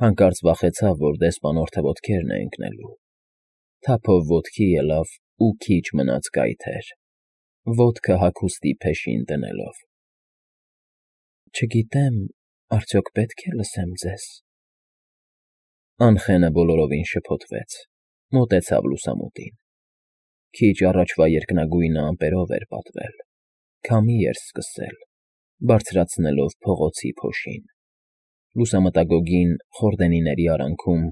Հանկարծ վախեցավ, որ դեսպանորդը ոտքերն է ընկնելու, թափով ոտքի ելավ ու քիչ մնաց կայթեր, ոտքը հագուստի փեշին դնելով։ Չգիտեմ, արդյոք պետք է լսեմ ձեզ։ Անխենը բոլորովին շփոթվեց, մոտեցավ լուսամուտին։ Քիչ առաջվա երկնագույնը ամպերով էր պատվել, քամի էր սկսել, բարձրացնելով փողոցի փոշին։ Լուսամտագոգին խորդենիների արանքում,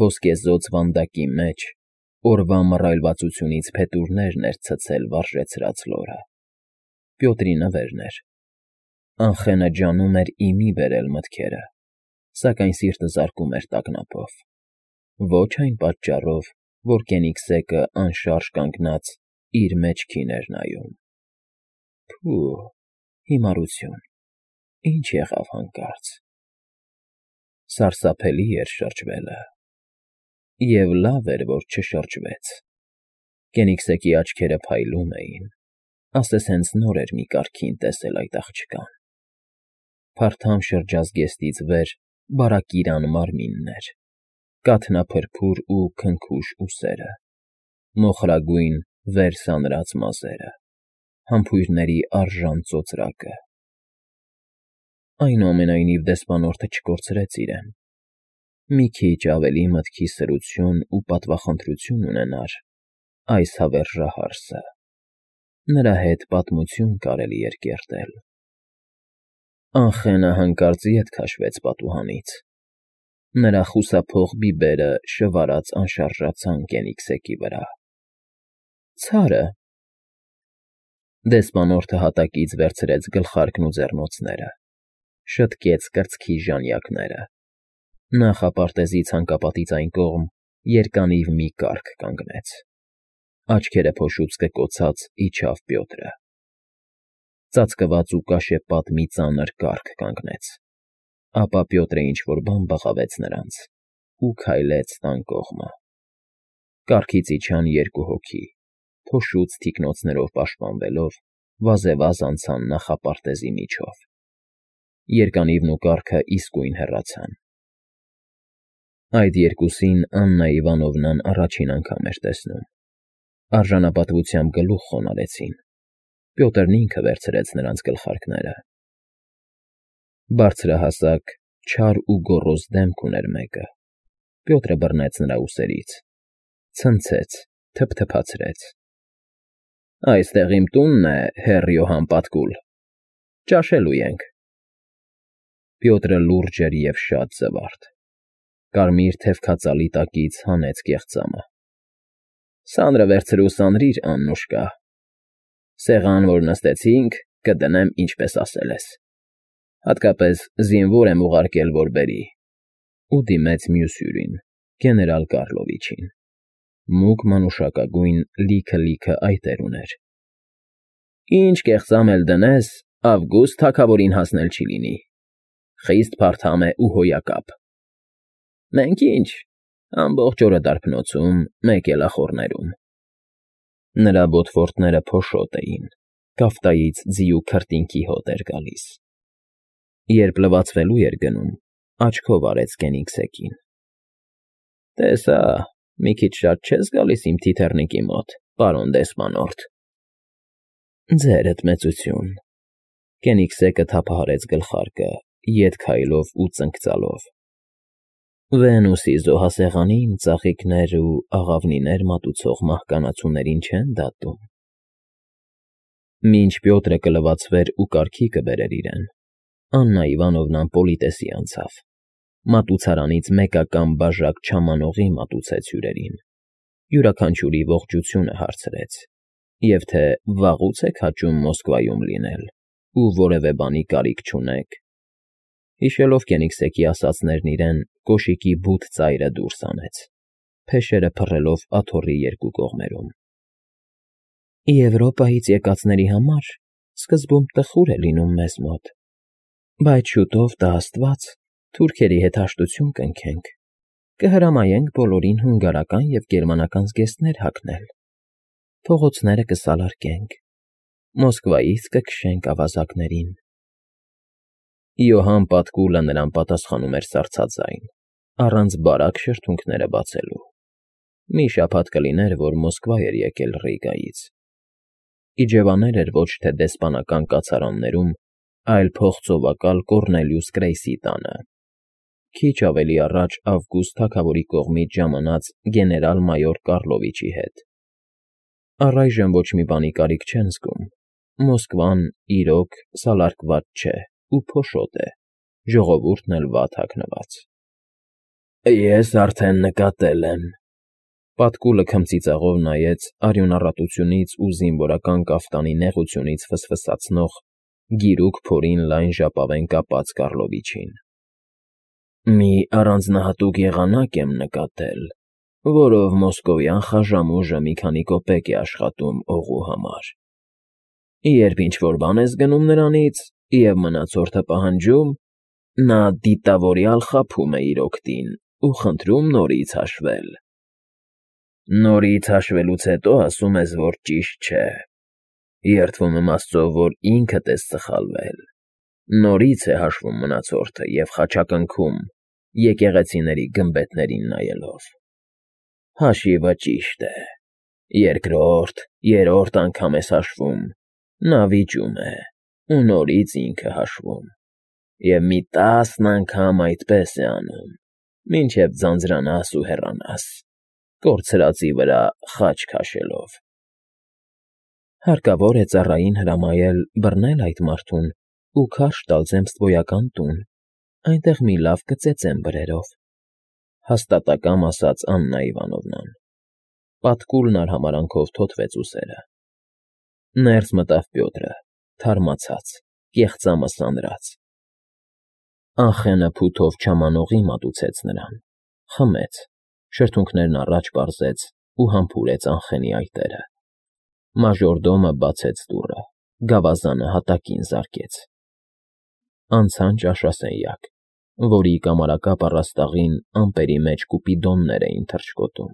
ոսկեզօծ վանդակի մեջ, օրվա մռայլվածությունից փետուրներն էր ցցել վարժեցրած լորը։ Պյոտրի նվերն էր։ Անխենը ջանում էր ի մի բերել մտքերը, սակայն սիրտը զարկում էր տագնապով։ Ոչ այն պատճառով, որ Կենիգսեկը անշարժ կանգնած իր մեջքին էր նայում։ Փու, հիմարություն, ինչ եղավ հանկարծ։ Սարսափելի էր շրջվելը։ Եվ լավ էր, որ չշրջվեց։ Կենիգսեկի աչքերը փայլում էին, ասես հենց նոր էր մի կարգին տեսել այդ աղջկան։ Փարթամ շրջազգեստից վեր բարակիրան մարմինն էր, կաթնափրփուր ու քնքուշ ուսերը, մոխրագույն վեր սանրած մազերը, համբույրների արժան ծոծրակը։ Այնուամենայնիվ դեսպանորդը չկորցրեց իրեն։ Մի քիչ ավելի մտքի սրություն ու պատվախնդրություն ունենար այս հավերժահարսը, նրա հետ պատմություն կարելի էր կերտել։ Անխենը հանկարծ ետ քաշվեց պատուհանից։ Նրա խուսափող բիբերը շվարած անշարժացան Կենիգսեկի վրա։ Ցարը… Դեսպանորդը հատակից վերցրեց գլխարկն ու ձեռնոցները, շտկեց կրծքի ժանյակները, նախապարտեզի ցանկապատից այն կողմ երկանիվ մի կառք կանգնեց, աչքերը փոշուց կկոցած իջավ Պյոտրը։ Ծածկված ու կաշեպատ մի ծանր կառք կանգնեց, ապա Պյոտրը ինչ֊որ բան բղավեց նրանց ու քայլեց տան կողմը։ Կառքից իջան երկու հոգի, փոշուց թիկնոցներով պաշտպանվելով, վազեվազ անցան նախապարտեզի միջով։ Երկանիվն ու կառքը իսկույն հեռացան։ Այդ երկուսին Աննա Իվանովնան առաջին անգամ էր տեսնում։ Արժանապատվությամբ գլուխ խոնարհեցին։ Պյոտրն ինքը վերցրեց նրանց գլխարկները։ Բարձրահասակ, չար ու գոռոզ դեմք ուներ մեկը։ Պյոտրը բռնեց նրա ուսերից, ցնցեց, թփթփացրեց։ Այստեղ իմ տունն է, հոռ Յոհան Պատկուլ, ճաշելու ենք։ Պյոտրը լուրջ էր և շատ զվարթ։ Կարմիր թևքածալի տակից հանեց կեղծամը։ Սանրը վերցրու սանրիր, Աննուշկա։ Սեղան, որ նստեցինք, կդնեմ, ինչպես ասել ես։ Հատկապես զինվոր եմ ուղարկել, որ բերի։ Ու դիմեց մյուս հյուրին, գեներալ Կառլովիչին։ Մուգ մանուշակագույն լիքը այտեր ուներ։ Ինչ կեղծամ էլ դնես, Ավգուստ թագավորին հասնել չի լինի։ Խիստ փարթամ է ու հոյակապ։ Մենք ինչ, ամբողջ օրը դարբնոցում, մեկ էլ ախոռներում։ Նրա բոթվորտները փոշոտ էին, կաֆտայից ձիու քրտինքի հոտ էր գալիս։ Երբ լվացվելու էր գնում, աչքով արեց Կենիգսեկին։ Տեսա, մի քիչ շատ չես գալիս իմ թիթեռնիկի մոտ, պարոն դեսպանորդ։ Ձերդ մեծություն։ Կենիգսեկը թափահարեց գլխարկը, ետ քայլով ու ծնկծալով։ Վենուսի զոհասեղանին ծաղիկներ ու աղավնիներ մատուցող մահկանացուներին չեն դատում։ Մինչ Պյոտրը կլվացվեր ու կարգի կբերեր իրեն, Աննա Իվանովնան պոլիտեսի անցավ, մատուցարանից մեկական բաժակ չամանողի մատուցեց հյուրերին, յուրաքանչյուրի ողջությունը հարցրեց, և թե վաղուց եք հաճում Մոսկվայում լինել ու որևէ բանի կարիք չունեք, հիշելով Կենիգսեկի ասածներն իրեն կոշիկի բութ ծայրը դուրս հանեց, փեշերը փռելով աթոռի երկու կողմերում։ Եվրոպայից եկածների համար սկզբում տխուր է լինում մեզ մոտ, բայց շուտով տա Աստված, թուրքերի հետ հաշտություն կնքենք, կհրամայենք բոլորին հունգարական և գերմանական զգեստներ հագնել, փողոցները կսալարկենք, Մոսկվայից կքշենք ավազակներին։ Յոհան Պատկուլը նրան պատասխանում էր սառցաձայն, առանց բարակ շրթունքները բացելու։ Մի շաբաթ կլիներ, որ Մոսկվա էր եկել Ռիգայից։ Իջևաներ էր ոչ թե դեսպանական կացարաններում, այլ փողծովակալ Կոռնելիուս Կրեյսի տանը։ Քիչ ավելի առաջ Ավգուստ թագավորի կողմից ժամանած գեներալ֊մայոր Կառլովիչի հետ։ Առայժմ ոչ մի բանի կարիք չեն զգում։ Մոսկվան, իրոք, սալարկված չէ ու փոշոտ է, ժողովուրդն էլ վատ հագնված։ Ես արդեն նկատել եմ։ Պատկուլը քմծիծաղով նայեց արյունառատությունից ու զինվորական կաֆտանի նեղությունից ֆսֆսացնող գիրուկ փորին լայն ժապավեն կապած Կառլովիչին։ Մի առանձնահատուկ եղանակ եմ նկատել, որով մոսկովյան խաժամուժը մի քանի կոպեկ է աշխատում օղու համար։ Երբ ինչ-որ բան ես գնում նրանից, և մնացորդը պահանջում, նա դիտավորյալ խաբում է իր օգտին ու խնդրում նորից հաշվել։ Նորից հաշվելուց հետո ասում ես, որ ճիշտ չէ։ Երդվում եմ Աստծո, որ ինքդ ես սխալվել։ Նորից է հաշվում մնացորդը և խաչակնքում, եկեղեցիների գմբեթներին նայելով։ Հաշիվը ճիշտ է։ Երկրորդ, երրորդ անգամ ես հաշվում, նա վիճում է, ու նորից ինքը հաշվում, և մի 10 անգամ այդպես է անում, մինչև ձանձրանաս ու հեռանաս, կորցրածի վրա խաչ քաշելով։ Հարկավոր է ծառային հրամայել բռնել այդ մարդուն ու քարշ տալ zemstvոյական տուն, այնտեղ մի լավ կծեծեմ բրերով, հաստատակամ ասաց Աննա Իվանովնան։ Պատկուլն արհամարանքով թոթվեց ուսերը։ Ներս մտավ Պյոտրը, թարմացած, կեղծամը սանրած։ Անխենը փութով չամանողի մատուցեց նրան, խմեց, շրթունքներն առաջ պարզեց ու համբուրեց Անխենի այտերը։ Մաժորդոմը բացեց դուռը, գավազանը հատակին զարկեց։ Անցան ճաշասենյակ, որի կամարակապ առաստաղին ամպերի մեջ կուպիդոններ էին թռչկոտում։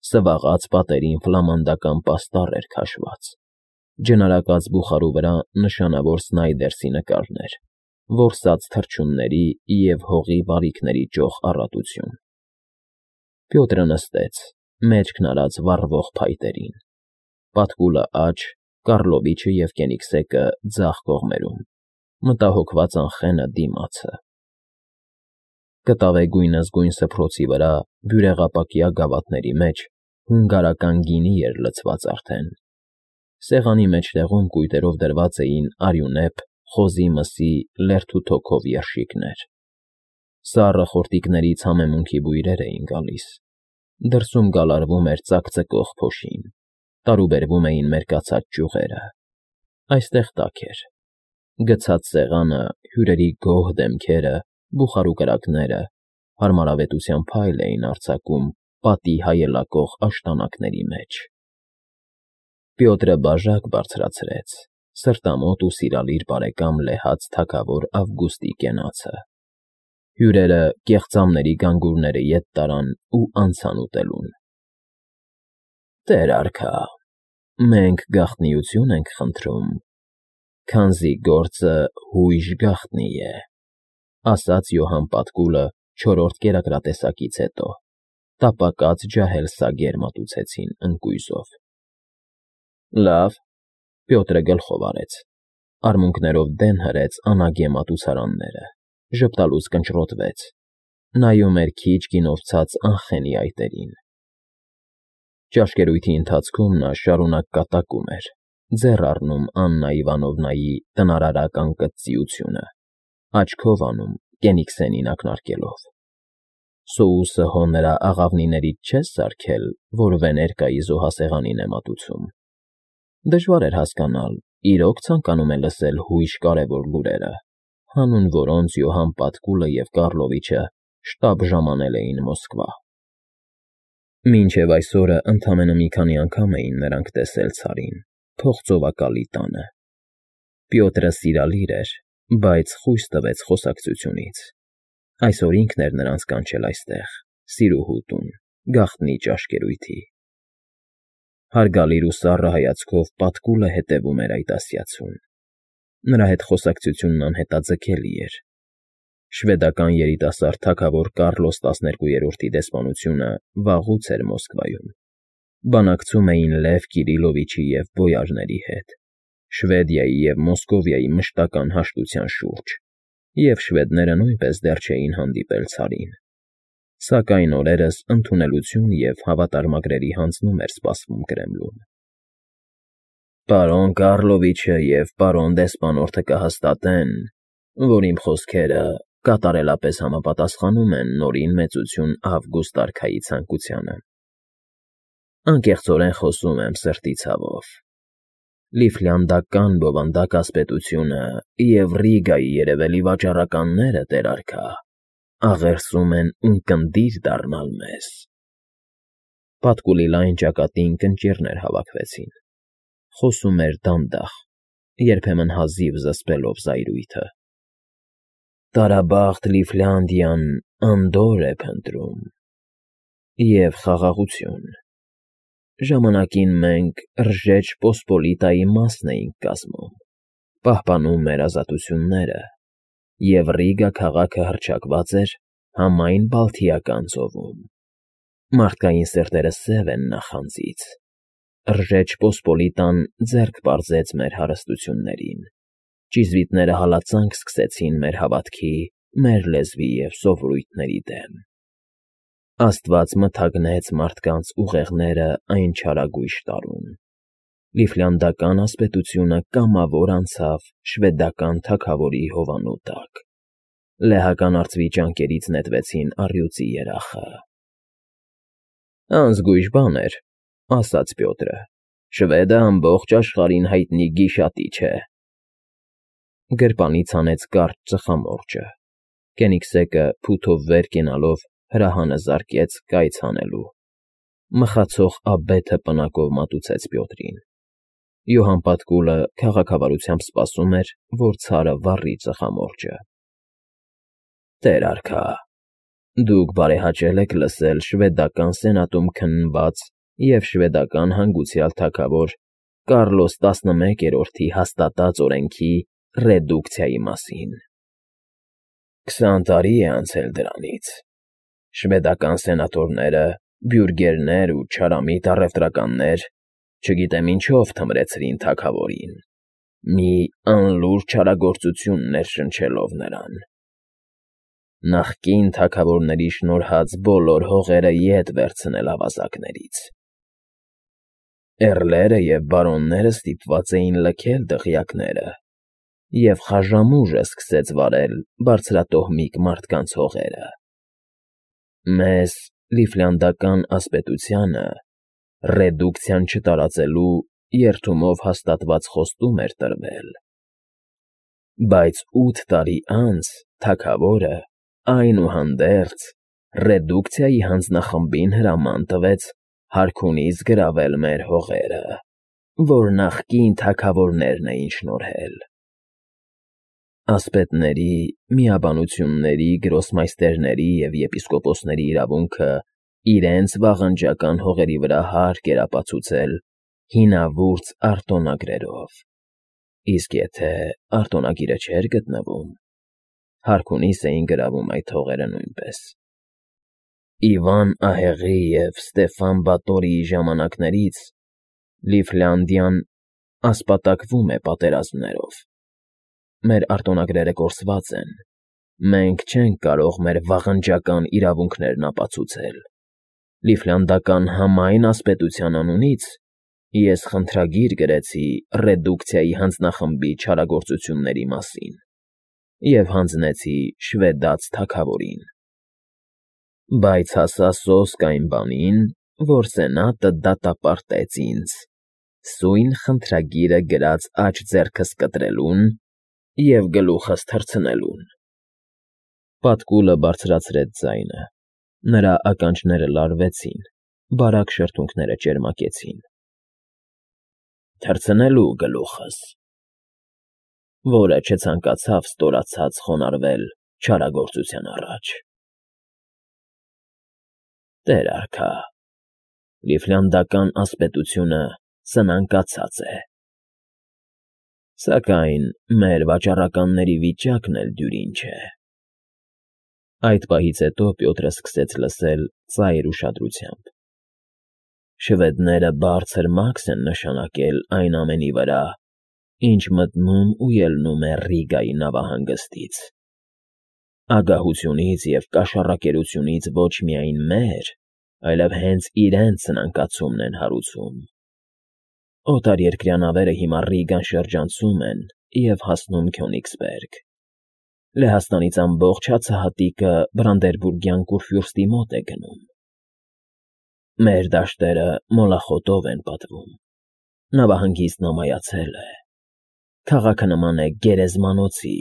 Սվաղած պատերին ֆլամանդական պաստառ էր քաշված։ Ջնարակած բուխարու վրա նշանավոր Սնայդերսի նկարներ, որսած թռչունների և հողի բարիքների ճոխ առատություն։ Պյոտրը նստեց, մեջքն արած վառվող փայտերին։ Պատկուլը աջ, Կառլովիչը և Կենիգսեկը ձախ կողմերում, մտահոգված Անխենը դիմացը։ Կտավեգույն զգույն սփռոցի վրա բյուրեղապակյա գավաթների մեջ հունգարական գինի էր լցված արդեն։ Սեղանի մեջտեղում կույտերով դրված էին արյունեպ, խոզի մսի, լերթ ու թոքով երշիկներ։ Սառը խորտիկներից համեմունքի բույրեր էին գալիս։ Դրսում գալարվում էր ծակծկող փոշին, տարուբերվում էին մերկացած ճյուղերը։ Այստեղ տաք էր։ Գցած սեղանը, հյուրերի գոհ դեմքերը, բուխարու կրակները հարմարավետության փայլ էին արձակում պատի հայելակող աշտանակների մեջ։ Պյոտրը բաժակ բարձրացրեց, սրտամոտ ու սիրալիր բարեկամ լեհած թագավոր Ավգուստի կենացը։ Հյուրերը կեղծամների գանգուրները ետ տարան ու անցան ուտելուն։ Տեր արքա, մենք գաղտնիություն ենք խնդրում, քանզի գործը հույժ գաղտնի է, ասաց Յոհան Պատկուլը չորրորդ կերակրատեսակից հետո։ Տապակած ջահել սագեր մատուցեցին ընկույզով։ Լավ, Պյոտրը գլխով արեց, արմունկներով դեն հրեց անագե մատուցարանները, ժպտալուց կնճռոտվեց, նայում էր քիչ գինով ցած Անխենի այտերին։ Ճաշկերույթի ընթացքում նա շարունակ կատակում էր, ձեռ առնում Աննա Իվանովնայի տնարարական կծծիությունը, աչքով անում Կենիգսենին ակնարկելով։ Սոուսը հո նրա աղավնիներից չես սարքել, որ Վեներկայի զոհասեղանին է մատուցում։ Դժվար էր հասկանալ, իրոք ցանկանում է լսել հույժ կարևոր լուրերը, հանուն որոնց Յոհան Պատկուլը և Կառլովիչը շտապ ժամանել էին Մոսկվա։ Մինչև այսօրը ընդամենը մի քանի անգամ էին նրանք տեսել Ցարին, փողծովակալի տանը։ Պյոտրը սիրալիր էր, բայց խույս տվեց խոսակցությունից։ Այսօր ինքն էր նրանց կանչել այստեղ, սիրուհու տուն, գաղտնի ճաշկերույթի։ Հարգալիր ու սառը հայացքով Պատկուլը հետևում էր այդ ասյացուն։ Նրա հետ խոսակցությունն անհետաձգելի էր։ Շվեդական երիտասարդ թագավոր Կարլոս 12-րդի դեսպանությունը վաղուց էր Մոսկվայում։ Բանակցում էին Լև Կիրիլովիչի և բոյարների հետ, Շվեդիայի և Մոսկովիայի մշտական հաշտության շուրջ, և շվեդները նույնպես դեռ չէին հանդիպել ցարին։ Սակայն օրերս ընդունելություն և հավատարմագրերի հանձնում էր սպասվում Կրեմլուն։ Պարոն Կարլովիչը և պարոն դեսպանորդը կհաստատեն, որ իմ խոսքերը կատարելապես համապատասխանում են Նորին Մեծություն Ավգուստ արքայի ցանկությանը։ Անկեղծորեն խոսում եմ սրտի ցավով։ Լիֆլանդական բովանդակ ասպետությունը և Ռիգայի երևելի վաճառականները, տեր արքա, աղերսում են ունկնդիր դառնալ մեզ։ Պատկուլի լայն ճակատին կնճիռներ հավաքվեցին։ Խոսում էր դանդաղ, երբեմն հազիվ զսպելով զայրույթը։ Տարաբախտ Լիֆլանդիան անդորր է փնտրում և խաղաղություն։ Ժամանակին մենք Ռժեջ Պոսպոլիտայի մասն էինք կազմում, պահպանում մեր ազատությունները, և Ռիգա քաղաքը հռչակված էր համայն Բալթիական ծովում։ Մարդկային սրտերը սև են նախանձից։ Ռժեջ Պոսպոլիտան ձեռք պարզեց մեր հարստություններին։ Ճիզվիտները հալածանք սկսեցին մեր հավատքի, մեր լեզվի և սովորույթների դեմ։ Աստված մթագնեց մարդկանց ուղեղները այն չարագույժ տարուն։ Լիֆլանդական ասպետությունը կամավոր անցավ շվեդական թագավորի հովանու տակ։ Լեհական արծվի ճանկերից նետվեցին առյուծի երախը։ Անզգույշ բան էր, ասաց Պյոտրը։ Շվեդը ամբողջ աշխարհին հայտնի գիշատիչ է։ Գրպանից հանեց կարճ ծխամորճը։ Կենիգսեկը փութով վեր կենալով հրահանը զարկեց կայծ հանելու։ Մխացող աբեթը պնակով մատուցեց Պյոտրին։ Յոհան Պատկուլը քաղաքավարությամբ սպասում էր, որ ցարը վառի ծխամորճը։ Տեր արքա, դուք բարեհաճել եք լսել շվեդական սենատում քննված և շվեդական հանգուցյալ թագավոր Կարլոս 11-րդի հաստատած օրենքի ռեդուկցիայի մասին։ 20 տարի է անցել դրանից։ Շվեդական սենատորները, բյուրգերներ ու չարամիտ առևտրականներ, չգիտեմ ինչով թմրեցրին թագավորին, մի անլուր չարագործություն ներշնչելով նրան։ Նախկին թագավորների շնորհած բոլոր հողերը ետ վերցնել ավազակներից։ Էռլերը և բարոնները ստիպված էին լքել դղյակները, և խաժամուժը սկսեց վարել բարձրատոհմիկ մարդկանց հողերը։ Մեզ, Լիֆլանդական ասպետությանը, ռեդուկցիան չտարածելու երդումով հաստատված խոստում էր տրվել։ Բայց 8 տարի անց թագավորը, այնուհանդերձ, ռեդուկցիայի հանձնախմբին հրաման տվեց հարքունից գրավել մեր հողերը, որ նախկին թագավորներն էին շնորհել։ Ասպետների, միաբանությունների, գրոսմայստերների և եպիսկոպոսների իրավունքը իրենց վաղնջական հողերի վրա հարկ էր ապացուցել հինավուրց արտոնագրերով, իսկ եթե արտոնագիրը չէր գտնվում, հարքունիս էին գրավում այդ հողերը նույնպես։ Իվան Ահեղի և Ստեֆան Բատորիի ժամանակներից Լիֆլանդիան ասպատակվում է պատերազմներով։ Մեր արտոնագրերը կորսված են։ Մենք չենք կարող մեր վաղնջական իրավունքներն ապացուցել։ Լիֆլանդական համայն ասպետության անունից ես խնդրագիր գրեցի ռեդուկցիայի հանձնախմբի չարագործությունների մասին և հանձնեցի շվեդաց թագավորին։ Բայց հասա սոսկ այն բանին, որ Սենատը դատապարտեց ինձ սույն խնդրագիրը գրած աջ ձեռքս կտրելուն և գլուխս թռցնելուն։ Պատկուլը բարձրացրեց ձայնը։ Նրա ականջները լարվեցին, բարակ շրթունքները ճերմակեցին։ Թռցնելու գլուխս, որը չցանկացավ ստորացած խոնարհվել չարագործության առաջ։ Տեր արքա, Լիֆլանդական ասպետությունը սնանկացած է։ Սակայն մեր վաճառականների վիճակն էլ դյուրին չէ։ Այդ պահից հետո Պյոտրը սկսեց լսել ծայր ուշադրությամբ. «Շվեդները բարձր մաքս են նշանակել այն ամենի վրա, ինչ մտնում ու ելնում է Ռիգայի նավահանգստից. ագահությունից և կաշառակերությունից ոչ միայն մեր, այլև հենց իրենց սնանկացումն են հարուցում։ Օտարերկրյա նավերը հիմա Ռիգան շրջանցում են և հասնում Քյոնիգսբերգ։ Լեհաստանից ամբողջ հացահատիկը Բրանդերբուրգյան Կուրֆյուրստի մոտ է գնում։ Մեր դաշտերը մոլախոտով են պատվում, նավահանգիստն ամայացել է, քաղաքը նման է գերեզմանոցի,